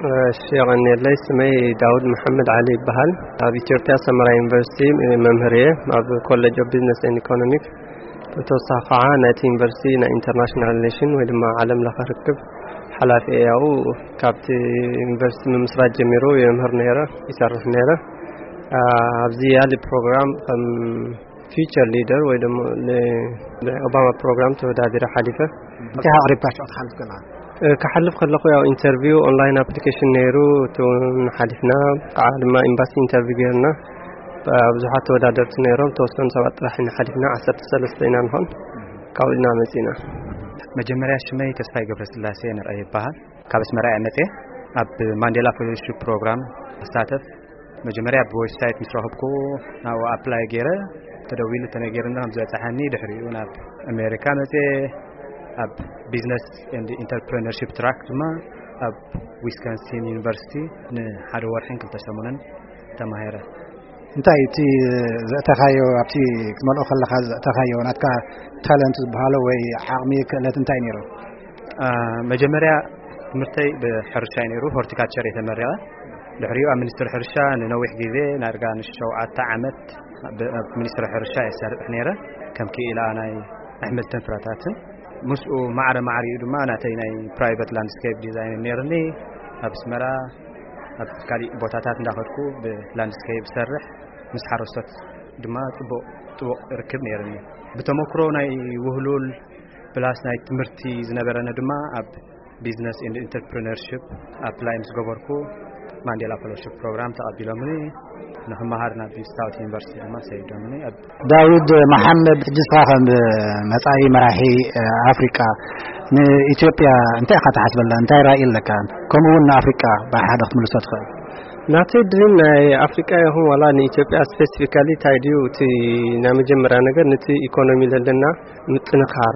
እሺ፣ የቐንየለይ። ስመይ ዳውድ መሓመድ ዓሊ ይበሃል። ኣብ ኢትዮጵያ ሰመራ ዩኒቨርሲቲ መምህር እየ፣ ኣብ ኮሌጅ ኦፍ ቢዝነስ ኤንድ ኢኮኖሚክ። ብተወሳኺ ከዓ ናይቲ ዩኒቨርሲቲ ናይ ኢንተርናሽናል ሪሌሽን ወይ ድማ ዓለም ለኸ ርክብ ሓላፊ እየ። ያው ካብቲ ዩኒቨርሲቲ ምምስራት ጀሚሩ የምህር ነይረ፣ ይሰርሕ ነይረ። አ፣ ኣብዚ ያሊ ፕሮግራም ከም ፊውቸር ሊደር ወይ ድማ ን-፣ ንኦባማ ፕሮግራም ተወዳዲረ ሓሊፈ። እንታይ ኣቕሪብካ ሽዑ ትሓልፍ ከለኻ? እ፣ ክሓልፍ ከለኹ ያው ኢንተርቪው ኦንላይን ኣፕሊኬሽን ነይሩ፣ እቲ እውን ሓሊፍና። ከዓ ድማ ኤምባሲ ኢንተርቪው ገይርና። ብ-፣ ብዙሓት ተወዳደርቲ ነይሮም፣ ተወሰኑ ሰባት ጥራሕ ኢና ሓሊፍና፣ ዓሰርተ ሰለስተ ኢና ንኾን። ካብኡ ኢና መጺና። መጀመርያ ሽመይ ተስፋይ ገብረስላሴ ንርኣይ ይበሃል። ካብ ኣስመራ እየ መጽየ። ኣብ ማንዴላ ፌሎሺፕ ፕሮግራም ኣሳተፍ። መጀመርያ ብዌብሳይት ምስ ረኸብኩ ናብኡ ኣፕላይ ገይረ፣ ተደዊሉ ተነገርና ከም ዝበጽሓኒ፣ ድሕሪኡ ናብ ኣሜሪካ መጽየ። ኣብ ቢዝነስ ኤንድ ኢንተርፕረነርሺፕ ትራክ ድማ ኣብ ዊስኮንሲን ዩኒቨርሲቲ ንሓደ ወርሕን ክልተ ሰሙንን ተማሂረ። እንታይ እቲ ዘእተኻዮ፣ ኣብቲ ክትመልኦ ከለኻ ዘእተኻዮ ናትካ ታለንት ዝበሃሎ ወይ ዓቕሚ ክእለት እንታይ ነይሩ? አ፣ መጀመርያ ትምህርተይ ብሕርሻ እዩ ነይሩ፣ ሆርቲካልቸር እየ ተመሪቐ። ድሕሪኡ ኣብ ሚኒስትሪ ሕርሻ ንነዊሕ ግዜ፣ ናርጋ ንሸውዓተ ዓመት ብ-፣ ኣብ ሚኒስትሪ ሕርሻ እየ ሰርሕ ነይረ፣ ከም ክኢላ ናይ ኣሕምልትን ፍረታትን። ምስኡ ማዕረ ማዕሪኡ ድማ ናተይ ናይ ፕራይቨት ላንድስኬፕ ዲዛይን ነይርኒ። ኣብ ኣስመራ፣ ኣብ ካሊእ ቦታታት እንዳኸድኩ ብላንድስኬፕ ሰርሕ፣ ምስ ሓረስቶት ድማ ጽቡቕ፣ ጽቡቕ ርክብ ነይርኒ። ብተመክሮ ናይ ውህሉል ፕላስ ናይ ትምህርቲ ዝነበረኒ ድማ ኣብ ቢዝነስ ኤንድ ኢንተርፕረነርሺፕ ኣፕላይ ምስ ገበርኩ፣ ማንዴላ ፌሎሺፕ ፕሮግራም ተቐቢሎምኒ፣ ንኽመሃር ናብ ስታውት ዩኒቨርሲቲ ድማ ሰይዶምኒ። ኣብ ዳዊት መሓመድ፣ ሕጂ ንስኻ ከም መጻኢ መራሒ፣ እ፣ ኣፍሪቃ፣ ንኢትዮጵያ እንታይ ኢኻ ትሓስበላ? እንታይ ራእይ ኣለካ? ከምኡ እውን ንኣፍሪቃ ብሓደ ክትምልሶ ትኽእል? ናተይ ድሪም ናይ ኣፍሪቃ ይኹን ዋላ ንኢትዮጵያ ስፔሲፊካሊ እንታይ ድዩ እቲ ናይ መጀመርያ ነገር፣ ነቲ ኢኮኖሚ ዘለና ምጥንኻር፣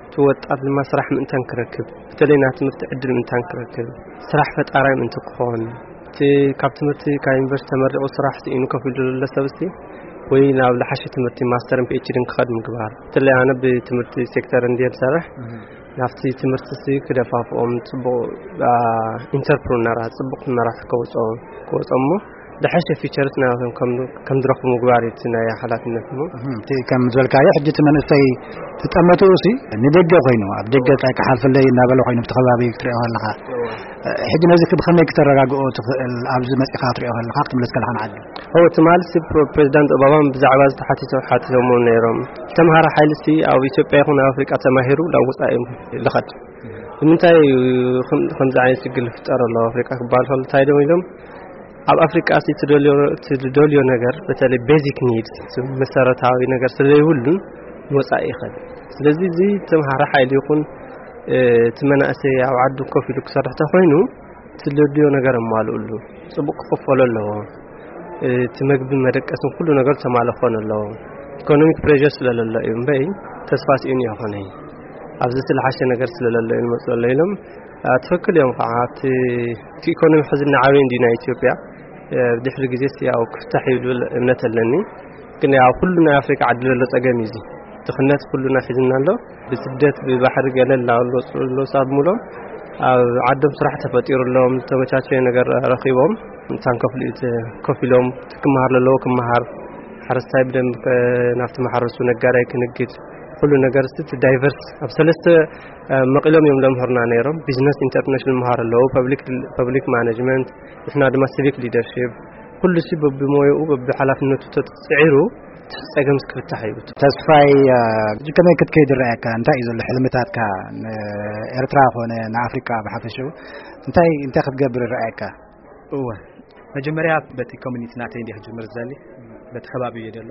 እቲ ወጣት ድማ ስራሕ ምእንታን ክረክብ፣ በተለይ ናይ ትምህርቲ ዕድል ምእንታን ክረክብ፣ ስራሕ ፈጣራይ ምእንቲ ክኾን፣ እቲ ካብ ትምህርቲ ካብ ዩኒቨርሲቲ ተመሪቑ ስራሕ ስኢኑ ኮፍ ኢሉ ዘሎ ሰብ እስቲ ወይ ናብ ዝሓሸ ትምህርቲ ማስተርን ፒኤችዲን ክኸድ ምግባር። በተለይ ኣነ ብትምህርቲ ሴክተር እንድየ ዝሰርሕ፣ ናብቲ ትምህርቲ ሲ ክደፋፍኦም፣ ጽቡቕ፣ አ፣ ኢንተርፕረነራት፣ ጽቡቕ መራሒ ከውጽኦ፣ ክወጾም እሞ፣ ዝሓሸ ፊቸርስ ናቶም ከም፣ ከም ዝረኽቡ ምግባር እዩ እቲ ናይ ሓላፍነት እሞ። እህ፣ እቲ ከም ዝበልካዮ፣ ሕጂ እቲ መንእሰይ ዝጠመትኡ ሲ ንደገ ኮይኑ፣ ኣብ ደገ እንታይ ክሓልፈለይ እናበለ ኮይኑ፣ ብቲ ከባቢ ክትሪኦ ከለኻ፣ እወ። ሕጂ ነዚ ብኸመይ ክተረጋግኦ ትኽእል? ኣብዚ መጺኻ ክትሪኦ ከለኻ፣ ክትምለስ ከለኻ ንዓዲ። እወ፣ ትማሊ ሲ ፕሮ-፣ ፕሬዚዳንት ኦባማ ብዛዕባ እዚ ተሓቲቶም፣ ሓቲቶምዎ ነይሮም። ተምሃሮ ሓይሊ ሲ ኣብ ኢትዮጵያ ይኹን ኣብ ኣፍሪቃ ተማሂሩ ናብ ወጻኢ ይልኸድ። ንምንታይ እዩ ከም-፣ ከምዚ ዓይነት ሽግር ዝፍጠር ኣሎ ኣብ ኣፍሪቃ ክበሃል ከሎ፣ እንታይ ደም ኢሎም፣ ኣብ ኣፍሪቃ ሲ ትደልዮ፣ ትደልዮ ነገር፣ በተለይ ቤዚክ ኒድስ፣ መሰረታዊ ነገር ስለይብሉን ንወጻኢ ይኸድ። ስለዚ እዚ ተምሃሮ ሓይሊ ይኹን፣ እ፣ እቲ መናእሰይ ኣብ ዓዱ ኮፍ ኢሉ ክሰርሕ ተኾይኑ፣ ትደልዮ ነገር ኣማልኡሉ። ጽቡቕ ክኽፈሎ ኣለዎ። እቲ መግቢ መደቀስን ኩሉ ነገር ተማልእ ክኾን ኣለዎ። ኢኮኖሚክ ፕሬሸር ስለለሎ እዩ እምበይ፣ ተስፋ ስኢኑ ይኾነ። ኣብዚ ዝለሓሸ ነገር ስለለሎ እዩ ንመጽእ ኣሎ ኢሎም። አ፣ ትኽክል እዮም ከዓ። እቲ፣ እቲ ኢኮኖሚ ሕዚ እናዓበየ እንድዩ ናይ ኢትዮጵያ። እ፣ ድሕሪ ግዜ ሲ ያው ክፍታሕ እዩ ዝብል እምነት ኣለኒ። ግን ያው ኩሉ ናይ ኣፍሪካ ዓዲ ዘሎ ጸገም እዩ እዚ። ድኽነት ኩሉና ሒዝና ኣሎ። ብስደት ብባሕሪ ገለ እናበሉ ዝወፅኡ ኣለዉ። ሳብ ሙሎም ኣብ ዓዶም ስራሕ ተፈጢሩሎም፣ ዝተመቻቸየ ነገር ረኺቦም፣ እንታን ከፍሉ እዩ ተ-፣ ኮፍ ኢሎም፣ እቲ ክመሃር ዘለዎ ክመሃር፣ ሓረስታይ ብደንብ ከ-፣ ናብቲ ማሕረሱ፣ ነጋዳይ ክንግድ፣ ኩሉ ነገር እስቲ እቲ ዳይቨርስ ኣብ ሰለስተ፣ እ፣ መቒሎም እዮም ለምህሩና ነይሮም። ቢዝነስ ኢንተርፕረነርሺፕ መሃር ኣለዉ፣ ፐብሊክ፣ ፐብሊክ ማኔጅመንት፣ ንሕና ድማ ሲቪክ ሊደርሺፕ፣ ኩሉ ሲ በብሞያኡ በብሓላፍነቱ ተፅዒሩ እቲ ጸገም ክፍታሕ እዩ። ተስፋይ፣ እ፣ ሕጂ ከመይ ክትከይድ ይረኣየካ? እንታይ እዩ ዘሎ ሕልምታትካ? ንኤርትራ ኮነ ንኣፍሪቃ ብሓፈሽኡ እንታይ፣ እንታይ ክትገብር ይረኣየካ? እወ፣ መጀመርያ በቲ ኮሚኒቲ ናተይ እንዲየ ክጅምር ዝደሊ፣ በቲ ከባቢ እየ ደሎ።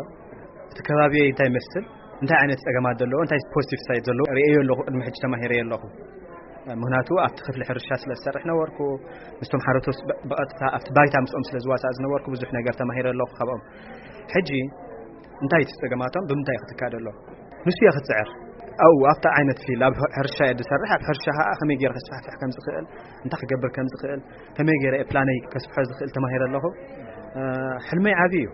እቲ ከባቢ እንታይ ይመስል፣ እንታይ ዓይነት ጸገማት ዘለዎ፣ እንታይ ፖዚቲቭ ሳይድ ዘለዎ ርእየዮ ኣለኹ፣ ቅድሚ ሕጂ ተማሂረዮ ኣለኹ። ምኽንያቱ ኣብቲ ክፍሊ ሕርሻ ስለ ዝሰርሕ ነበርኩ፣ ምስቶም ሓረቶት ብ-፣ ብቐጥታ ኣብቲ ባይታ ምስኦም ስለ ዝዋሳእ ዝነበርኩ ብዙሕ ነገር ተማሂረ ኣለኹ ካብኦም። ሕጂ እንታይ እቲ ጸገማቶም፣ ብምንታይ ክትካደ ኣሎ? ንሱ እየ ክትጽዕር። ኣብኡ ኣብታ ዓይነት ፊልድ፣ ኣብ ሕርሻ እየ ዝሰርሕ፣ ኣብ ሕርሻ ኸኣ ከመይ ገይረ ከስፋሕፍሕ ከም ዝኽእል፣ እንታይ ክገብር ከም ዝኽእል፣ ከመይ ገይረ እየ ፕላነይ ከስፍሖ ዝኽእል ተማሂረ ኣለኹ። እ፣ ሕልመይ ዓቢ እዩ።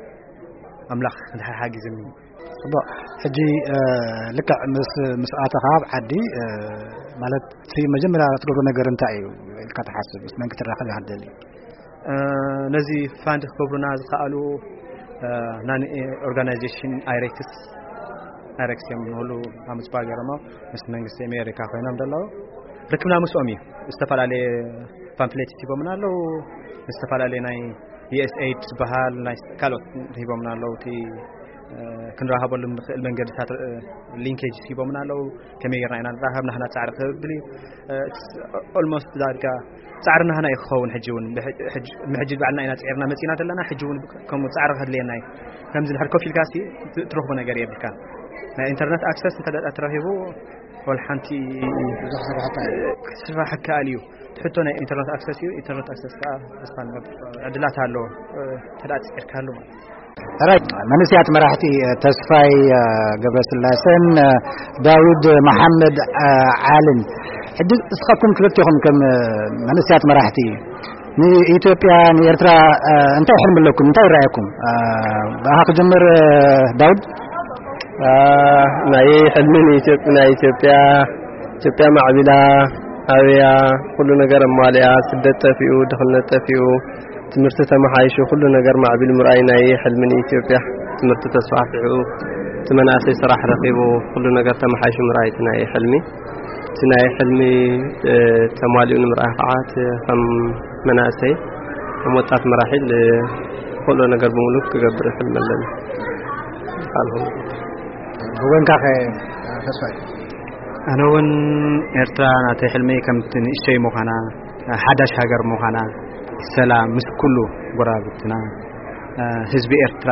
ኣምላኽ እንድሕር ሓጊዝኒ፣ ጽቡቕ። ሕጂ፣ እ፣ ልክዕ ምስ፣ ምስ ኣተኻ ኣብ ዓዲ፣ እ፣ ማለት እቲ መጀመርያ ትገብሮ ነገር እንታይ እዩ ኢልካ ትሓስብ? ምስ መን ክትራኸብ ኢኻ ትደሊ? እ፣ ነዚ ፋንድ ክገብሩና ዝኸኣሉ፣ እ፣ ናን ኦርጋናይዜሽን ኣይሬክስ፣ ኣይሬክስ እዮም ንሉ ኣብ ምጽባይ ገይሮሞ ምስ መንግስቲ ኣሜሪካ ኮይኖም ዘለዉ። ርክብና ምስኦም እዩ። ዝተፈላለየ ፓምፍሌት ሂቦምና ኣለዉ። ዝተፈላለየ ናይ ዩ ኤስ ኤይድ ዝበሃል ናይ ካልኦት ሂቦምና ኣለዉ። እቲ፣ እ፣ ክንራኸበሉ ንኽእል መንገድታት፣ እ፣ ሊንኬጅ ሂቦምና ኣለዉ። ከመይ ጌርና ኢና ንራኸብ፣ ናህና ጻዕሪ ክብል እዩ። እ፣ it's almost ዳርጋ ጻዕሪ ናህና እዩ ክኸውን። ሕጂ እውን ብሕ-፣ ሕጂ፣ ምሕጂ ባዕልና ኢና ጸዒርና መጺና ዘለና። ሕጂ እውን ከምኡ ጻዕሪ ከድልየና እዩ። ከምዚ ድሕር ኮፍ ኢልካ ሲ ት-፣ ትረኽቦ ነገር የብልካ። ናይ ኢንተርነት ኣክሰስ እንተ ደኣ ተረኺቡ፣ ወላ ሓንቲ ብዙሕ ስራሕቲ ክትስራሕ ይከኣል እዩ። እቲ ሕቶ ናይ ኢንተርነት ኣክሰስ እዩ። ኢንተርነት ኣክሰስ ከኣ ተስፋ ንገብር ዕድላት ኣሎ፣ እ፣ እንተ ደኣ ጸዒርካሉ ማለት እዩ። ሕራይ፣ መንእሰያት መራሕቲ፣ እ፣ ተስፋይ፣ እ፣ ገብረስላሰን፣ እ፣ ዳውድ መሓመድ፣ እ፣ ዓልን። ሕጂ እስኻትኩም ክልቴኹም ከም፣ እ፣ መንእሰያት መራሕቲ ንኢትዮጵያ፣ ንኤርትራ፣ እ፣ እንታይ ሕልሚ ኣለኩም? እንታይ ይረኣየኩም? እ፣ ብኣኻ ክጅምር፣ እ፣ ዳውድ። እ፣ ናይ ሕልሚ ንኢትዮ-፣ ናይ ኢትዮጵያ፣ ኢትዮጵያ ማዕቢላ፣ ኣብያ፣ ኩሉ ነገር ኣማሊኣ፣ ስደት ጠፊኡ፣ ድኽነት ጠፊኡ፣ ትምህርቲ ተመሓይሹ፣ ኩሉ ነገር ማዕቢሉ ምርኣይ ናይ ሕልሚ ንኢትዮጵያ። ትምህርቲ ተስፋሕፊሑ፣ እቲ መናእሰይ ስራሕ ረኺቡ፣ ኩሉ ነገር ተመሓይሹ ምርኣይ እቲ ናይ ሕልሚ። እቲ ናይ ሕልሚ፣ እ፣ ተማሊኡ ንምርኣይ ከዓ እቲ ከም መናእሰይ፣ ከም ወጣት መራሒ ል-፣ ዝኽእሎ ነገር ብምሉእ ክገብር ሕልሚ ኣለኒ። ካልኹም? ብወንካ ከ ተስፋይ? ኣነ እውን ኤርትራ ናተይ ሕልመይ ከምቲ ንእሽተይ ምዃና፣ ሓዳሽ ሃገር ምዃና፣ ሰላም ምስ ኩሉ ጎረባብትና፣ ህዝቢ ኤርትራ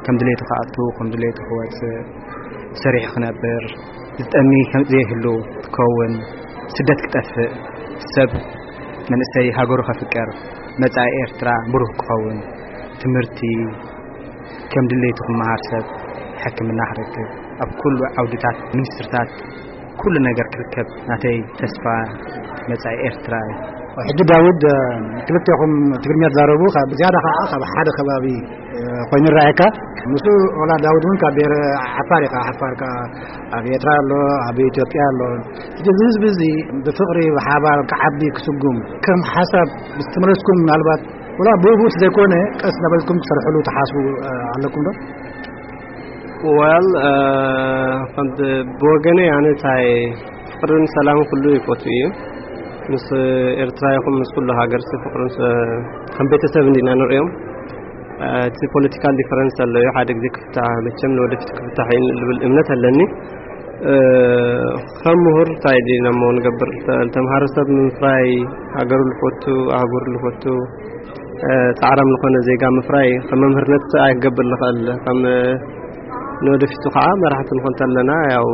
ከም ድሌቱ ክኣቱ፣ ከም ድሌቱ ክወጽእ፣ ሰሪሑ ክነብር፣ ዝጠሚ ከም ዘይህሉ ክኸውን፣ ስደት ክጠፍእ፣ ሰብ መንእሰይ ሃገሩ ከፍቅር፣ መጻኢ ኤርትራ ብሩህ ክኸውን፣ ትምህርቲ ከም ድሌቱ ክመሃር፣ ሰብ ሕክምና ክረክብ፣ ኣብ ኩሉ ዓውድታት ሚኒስትርታት ኩሉ ነገር ክርከብ ናተይ ተስፋ መጻኢ ኤርትራ እዩ። ሕጂ ዳውድ፣ እ፣ ክልቴኹም ትግርኛ ትዛረቡ፣ ካብ ዝያዳ ከኣ ካብ ሓደ ከባቢ፣ እ፣ ኮይኑ ይረኣየካ። ንሱ ወላ ዳውድ እውን ካብ ብሄረ ዓፋር እዩ፣ ካብ ዓፋር ከኣ ኣብ ኤርትራ ኣሎ፣ ኣብ ኢትዮጵያ ኣሎ። ሕጂ እዚ ህዝቢ እዚ ብፍቕሪ ብሓባር ክዓቢ ክስጉም ከም ሓሳብ ምስ ተመለስኩም፣ ምናልባት ወላ ብኡ ብኡ ዘይኮነ ቀስ እናበልኩም ትሰርሕሉ ትሓስቡ፣ እ፣ ኣለኩም ዶ? ወል፣ እ፣ ከምቲ ብወገነይ ኣነ እንታይ ፍቕርን ሰላምን ኩሉ ይፈቱ እዩ። ምስ ኤርትራ ይኹን ምስ ኩሉ ሃገር ሲ ፍቕርን ሰ-፣ ከም ቤተሰብ እንዲና ንሪኦም። እ፣ እቲ ፖለቲካል ዲፈረንስ ኣሎ እዩ። ሓደ ግዜ ክፍታሕ፣ መቸም ንወደፊት ክፍታሕ እዩ ዝብል እምነት ኣለኒ። እ፣ ከም ምሁር እንታይ ዲና እሞ ንገብር? ተ-፣ ተምሃሮ ሰብ ምፍራይ፣ ሃገሩ ልፈቱ፣ ኣህጉር ልፈቱ፣ እ፣ ጻዕራም ዝኾነ ዜጋ ምፍራይ ከም መምህርነት ኣይክገብር ዝኽእል። ከም፣ እ፣ ንወደፊቱ ከዓ መራሕቲ ንኾን ተለና ያው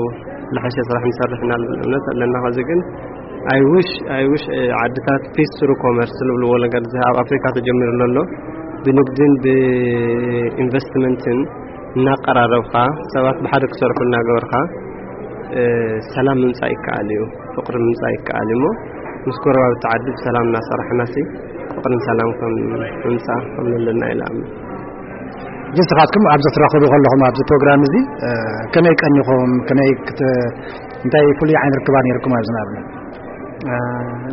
ዝሓሸ ስራሕ ንሰርሕ ኢና ዝብል እምነት ኣለና። ከዚ ግን I wish፣ I wish፣ እ፣ ዓድታት ፒስ ትሩ ኮመርስ ዝብልዎ ነገር እዚ ኣብ ኣፍሪካ ተጀሚሩ ዘሎ ብንግድን ብኢንቨስትመንትን እናቀራረብካ ሰባት ብሓደ ክሰርሑ እናገበርካ፣ እ፣ ሰላም ምምጻእ ይከኣል እዩ፣ ፍቕሪ ምምጻእ ይከኣል እዩ። እሞ ምስ ጎረባብቲ ዓዲ ብሰላም እናሰራሕና ሲ ፍቕርን ሰላም ከም ምምጻእ ከም ዘለና ኢለ እኣምን። ንስኻትኩም ኣብዚ ትራኸቡ ከለኹም ኣብዚ ፕሮግራም እዚ፣ እ፣ ከመይ ቀኒኹም? ከመይ ክት-፣ እንታይ ፍሉይ ዓይነት ርክባ ነይርኩም ኣብዚ ንኣብነት? እ፣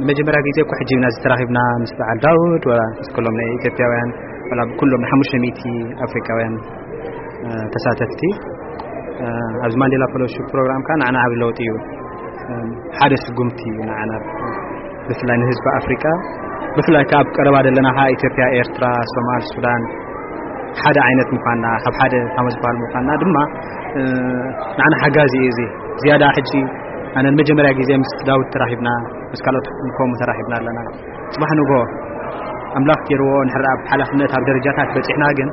ንመጀመርያ ግዜ እኮ ሕጂ ኢና ዝተራኺብና ምስ በዓል ዳውድ፣ ወላ ምስ ኩሎም ናይ ኢትዮጵያውያን፣ ወላ ብኩሎም ሓሙሽተ ሚእቲ ኣፍሪቃውያን፣ እ፣ ተሳተፍቲ። እ፣ ኣብዚ ማንዴላ ፈሎሺፕ ፕሮግራም ከኣ ንዓና ዓቢ ለውጢ እዩ። እ፣ ሓደ ስጉምቲ እዩ ንዓና፣ ብፍላይ ንህዝቢ ኣፍሪቃ፣ ብፍላይ ከኣ ኣብ ቀረባ ዘለና ከኣ ኢትዮጵያ፣ ኤርትራ፣ ሶማል፣ ሱዳን ሓደ ዓይነት ምዃንና፣ ካብ ሓደ ካብ ዝበሃል ምዃንና ድማ፣ እ፣ ንዓና ሓጋዚ እዩ እዚ። ዝያዳ ሕጂ ኣነ ንመጀመርያ ግዜ ምስ ዳውድ ተራኺብና፣ ምስ ካልኦት ከምኡ ተራኺብና ኣለና። ጽባሕ ንግሆ ኣምላኽ ገይርዎ እንድሕር ኣብ ሓላፍነት ኣብ ደረጃታት በጺሕና ግን፣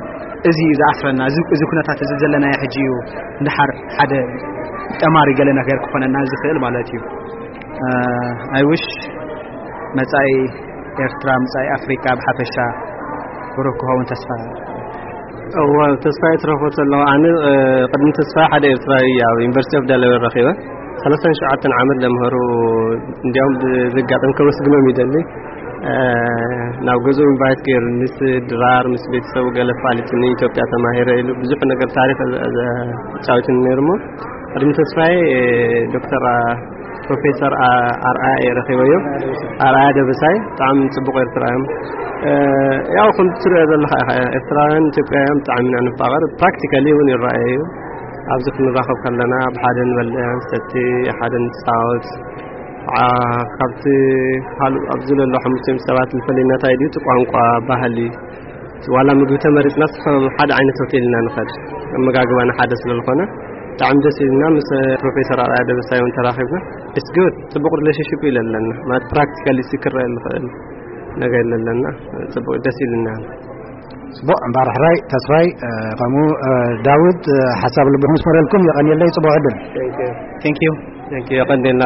እዚ እዩ ዝኣስረና። እዚ፣ እዚ ኩነታት እዚ ዘለናዮ ሕጂ እዩ እንድሓር ሓደ ጠማሪ ገለ ነገር ክኾነና ዝኽእል ማለት እዩ። እ፣ I wish መጻኢ ኤርትራ፣ መጻኢ ኣፍሪቃ ብሓፈሻ ብሩህ ክኸውን ተስፋ። እወ፣ ተስፋ ይትረፎ ኣለኹ። ኣነ፣ እ፣ ቅድሚ ተስፋ ሓደ ኤርትራዊ ኣብ ዩኒቨርሲቲ ኦፍ ደለዌር ረኺበ። ሰላሳን ሸውዓተን ዓመት ለምሃሩ፣ እንዲያውም ብዘጋጠም ከመስግኖም ይደሊ። ናብ ገዝኡ ኢንቫይት ገይሩ ምስ ድራር ምስ ቤተሰቡ ገለ ፋሊጥኒ ኢትዮጵያ ተማሂረ ኢሉ ብዙሕ ነገር ታሪክ ጫውትን ነይሩ። እሞ ቅድሚ ተስፋዬ ዶክተር ፕሮፌሰር ኣርኣያ እየ ረኺበዮ። ኣርኣያ ደበሳይ ብጣዕሚ ጽቡቕ ኤርትራ እዮም። ያው ከም ትሪኦ ዘለኻ ኢኻ፣ ኤርትራውያን ኢትዮጵያውያን ብጣዕሚ ኢና ንፋቐር። ፕራክቲካሊ እውን ይረኣየ እዩ። ኣብዚ ክንራኸብ ከለና ኣብ ሓደ ንበልዕ ንሰቲ፣ ሓደ ንፃወት። ካብቲ ካልእ ኣብዚ ዘሎ ሓሙሽተ ሰባት ዝፈለየና እንታይ ድዩ? እቲ ቋንቋ፣ ባህሊ፣ ዋላ ምግቢ ተመሪፅና ሓደ ዓይነት ሆቴል ኢና ንኸድ። ኣመጋግባና ሓደ ስለዝኾነ ብጣዕሚ ደስ ኢልና ምስ ፕሮፌሰር ኣርኣያ ደበሳይ እውን ተራኺብና። It's good፣ ፅቡቕ ሪሌሽንሽፕ እዩ ለለና ማለት ፕራክቲካሊ ክረአ ዝኽእል ነገር ለለና። ፅቡቕ ደስ ኢልና። ጽቡቕ እምበኣር ሕራይ ተስፋይ ከምኡ ዳዊት ሓሳብ ልብኹም ስመረልኩም። የቐንየለይ። ጽቡቕ ዕድል። የቐንየልና።